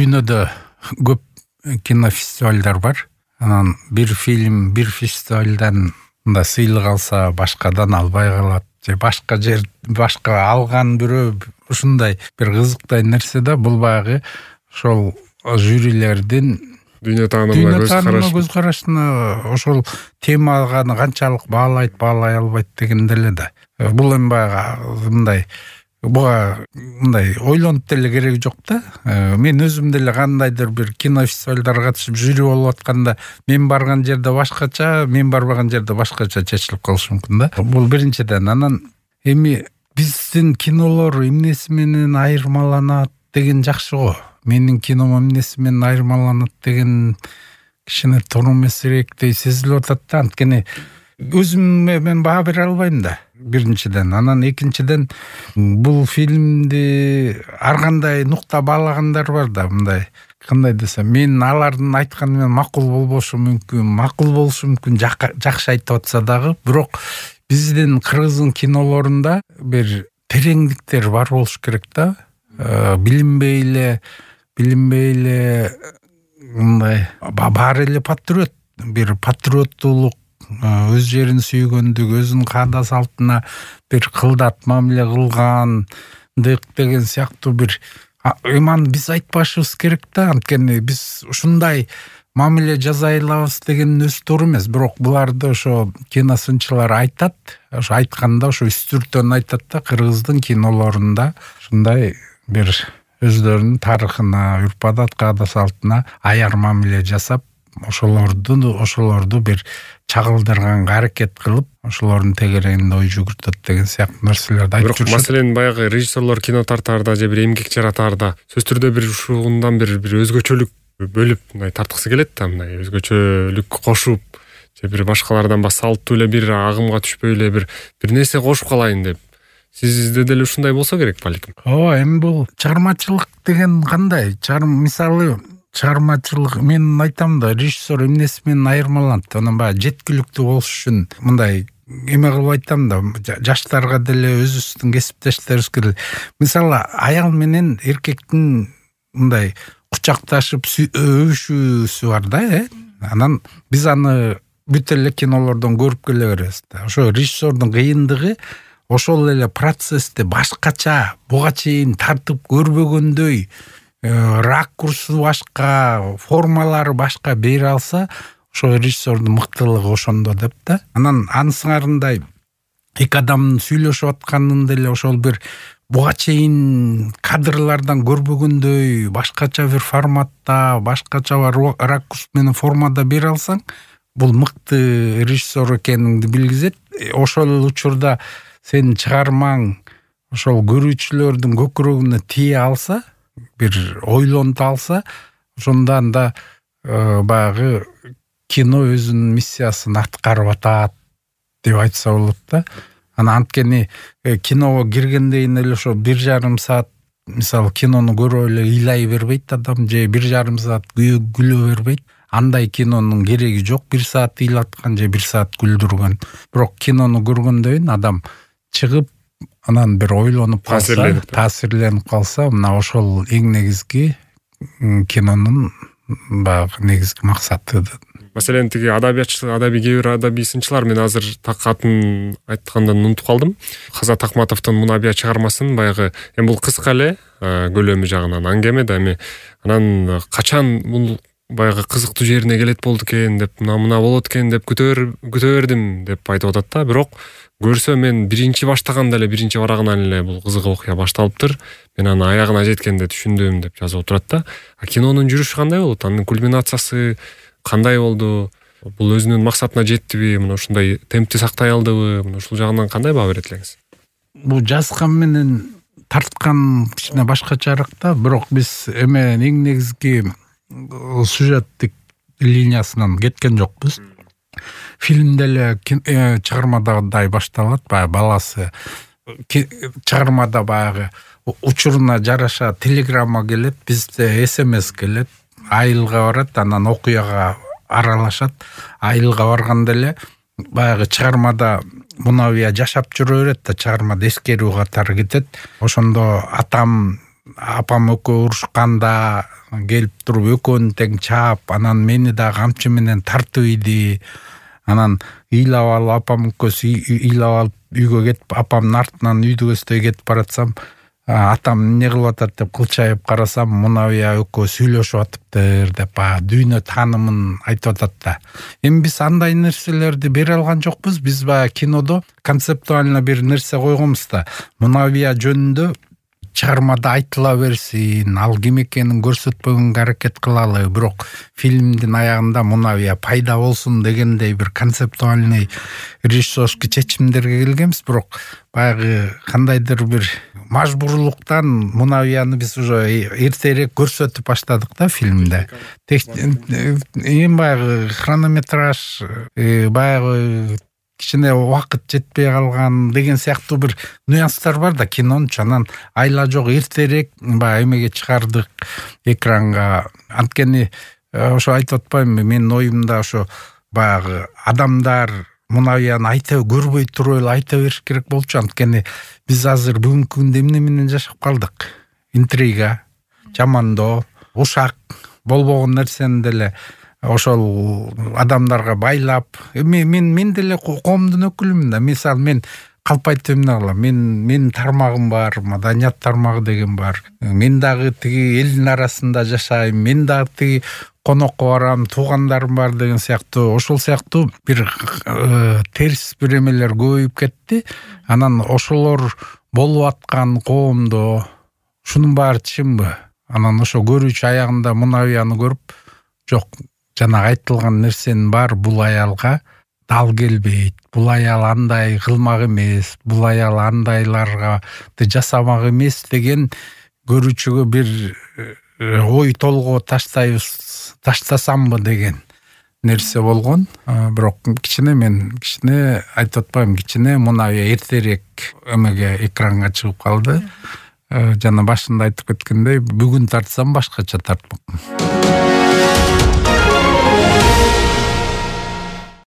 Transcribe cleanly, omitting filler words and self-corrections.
дүйнөдө көп кинофестивалдар бар. Анан бир фильм бир фестивалдан мындай сыйлык алса башкадан албай калат же башка алган бирөө ушундай бир кызыктай нерсе да. Бул баягы ошол жюрилердин дүйнө таанымына көз карашына ошол темага канчалык баалайт, баалай албайт деген деле да. Бул эми баягы мындай буга мындай ойлонуп деле кереги жок да. Мен өзүм деле кандайдыр бир кинофестивалдарга катышып жюри болуп атканда мен барган жерде башкача, мен барбаган жерде башкача чечилип калышы мүмкүн да. Бул биринчиден. Анан эми биздин кинолор эмнеси менен айырмаланат деген жакшы го. Менин кином эмнеси менен айырмаланат деген кичине туура эмесирээктей сезилип атат да. Анткени өзүмө мен баа бере албайм да. Биринчиден. Анан экинчиден бул фильмди ар кандай нукта баалагандар бар да. Мындай кандай десем, мен алардын айтканы менен макул болбошу мүмкүн, жакшы айтып атса дагы, бирок биздин кыргыздын кинолорунда бир тереңдиктер бар болуш керек да. Билинбей эле мындай баары эле патриот, бир патриоттуулук, өз жерин сүйгөндүк, өзүнүн каада салтына бир кылдат мамиле кылгандык деген сыяктуу бир эманы биз айтпашыбыз керек да. Анткени биз ушундай мамиле жасай алабыз деген өзү туура эмес. Бирок буларды ошо киносынчылар айтат. Ошо айтканда ошо үстүртөн айтат да. Кыргыздын кинолорунда ушундай бир өздөрүнүн тарыхына, үрп-адат, каада салтына аяр мамиле жасап, ошолорду бир чагылдырганга аракет кылып, ошолордун тегерегинде ой жүгүртөт деген сыяктуу нерселерди айтып жүрүшөт. Бирок маселен баягы режиссерлор кино тартаарда же бир эмгек жаратаарда сөзсүз түрдө бир ушундан бир өзгөчөлүк бөлүп мындай тартыкысы келет да, мындай өзгөчөлүк кошуп же бир башкалардан салттуу эле бир агымга түшпөй эле бир нерсе кошуп калайын деп. Сизде деле ушундай болсо керек балким. Ооба, эми бул чыгармачылык деген кандай? Мисалы чыгармачылык, мен айтам да, режиссер эмнеси менен айырмаланат? Анан баягы жеткиликтүү болуш үчүн мындай эме кылып айтам да, жаштарга деле өзүбүздүн кесиптештерибизге деле. Мисалы аял менен эркектин мындай кучакташып өбүшүүсү бар да, Анан биз аны бүт эле кинолордон көрүп келе беребиз да. Ошо режиссердун кыйындыгы ошол эле процессти башкача, буга чейин тартып көрбөгөндөй, ракурсу башка, формалары башка бере алса, ошо режиссердун мыктылыгы ошондо деп да. Анан анысыңарындай эки адамдын сүйлөшүп атканын деле ошол бир буга чейин кадрлардан көрбөгөндөй башкача бир форматта, башкача ракурс менен формада бере алсаң, бул мыкты режиссер экениңди билгизет. Ошол учурда сенин чыгармаң ошол көрүүчүлөрдүн көкүрөгүнө тие алса, бир ойлонто алса, ошондо анда баягы кино өзүнүн миссиясын аткарып атат деп айтса болот да. Анткени киного киргенден эле ошо 1,5 саат, мисалы кинону көрүп эле ыйлай бербейт адам, же 1,5 саат күлө бербейт. Андай кинонун кереги жок, 1 саат ыйлаткан же 1 саат күлдүргөн. Бирок кинону көргөндөн кийин адам чыгып, анан бир ойлонуп калса, таасирленип калса, мына ошол эң негизги кинонун баягы негизги максаты. Маселен тиги кээ бир адабий сынчылар, мен азыр так атын айткандан унутуп калдым. Казат Акматовдун Мунабия чыгармасын баягы, эми бул кыска эле көлөмү жагынан аңгеме да, эми анан качан бул баягы кызыктуу жерине келет болду экен деп, мына болот экен деп күтөрдүм деп айтып атат да. Бирок көрсө мен биринчи баштаганда эле, биринчи барагынан эле бул кызык окуя башталыптыр. Мен аны аягына жеткенде түшүндүм деп жазып отурат да. Кинонун жүрүшү кандай болот? Анын кульминациясы кандай болду? Бул өзүнүн максатына жеттиби? Мына ушундай темпти сактай алдыбы? Мына ушул жагынан кандай баа берет элеңиз? Бул жазган менен тарткан кичине башкачараак да. Бирок биз эме эң негизги сюжеттик линиясынан кеткен жокпуз. Фильмде эле чыгармадагыдай башталат. Баягы баласы чыгармада баягы учуруна жараша телеграмма келет, бизде СМС келет, айылга барат, анан окуяга аралашат. Айылга барганда эле баягы чыгармада Мунабия жашап жүрө берет да, чыгармада эскерүү катары кетет. Ошондо атам апам экөө урушканда келип туруп экөөнү тең чаап, анан мени да камчы менен тартып ийди. Анан ыйлап алып, апам экөөсү ыйлап алып үйгө кетип, апамдын артынан үйдү көздөй кетип баратсам, атам эмне кылып атат деп кылчайып карасам, Мунавия экөө сүйлөшүп атыптыр деп дүйнө таанымын айтып атат да. Эми биз андай нерселерди бере алган жокпуз. Биз кинодо концептуально бир нерсе койгонбуз да. Мунавия жөнүндө чыгармада айтыла берсин, ал ким экенин көрсөтпөгөнгө аракет кылалы, бирок фильмдин аягында Мунавия пайда болсун дегендей бир концептуальный режиссерский чечимдерге келгенбиз. Бирок баягы кандайдыр бир мажбурлуктан Мунавияны биз уже эртерээк көрсөтүп баштадык да фильмде. Эми баягы хронометраж, баягы кичине убакыт жетпей калган деген сыяктуу бир нюанстар бар да кинончу. Анан айла жок эртерээк баягы эмеге чыгардык экранга. Анткени ошо айтып атпаймынбы, менин оюмда ошо баягы адамдар Мунавияны айта көрбөй туруп эле айта бериш керек болчу. Анткени биз азыр бүгүнкү күндө эмне менен жашап калдык? Интрига, жамандоо, ушак болбогон нерсени деле ошол адамдарга байлап, мен деле коомдун өкүлүмүн да. Мисалы, мен калп айтып эмне кылам? Менин тармагым бар, маданият тармагы деген бар. Мен дагы тиги элдин арасында жашайм, мен дагы тиги конокко барам, туугандарым бар деген сыяктуу, ошол сыяктуу бир терс бир эмелер көбөйүп кетти. Анан ошолор болуп аткан коомдо ушунун баары чынбы? Анан ошо көрүүчү аягында Мунавияны көрүп, жок, жанагы айтылган нерсенин баары бул аялга дал келбейт, бул аял андай кылмак эмес, бул аял андайларга жасамак эмес деген көрүүчүгө бир ой толгоо таштасамбы деген нерсе болгон. Бирок мен кичине айтып атпайм, кичине Мунавия эртерээк эмеге экранга чыгып калды. Жана башында айтып кеткендей, бүгүн тартсам башкача тартмакмын.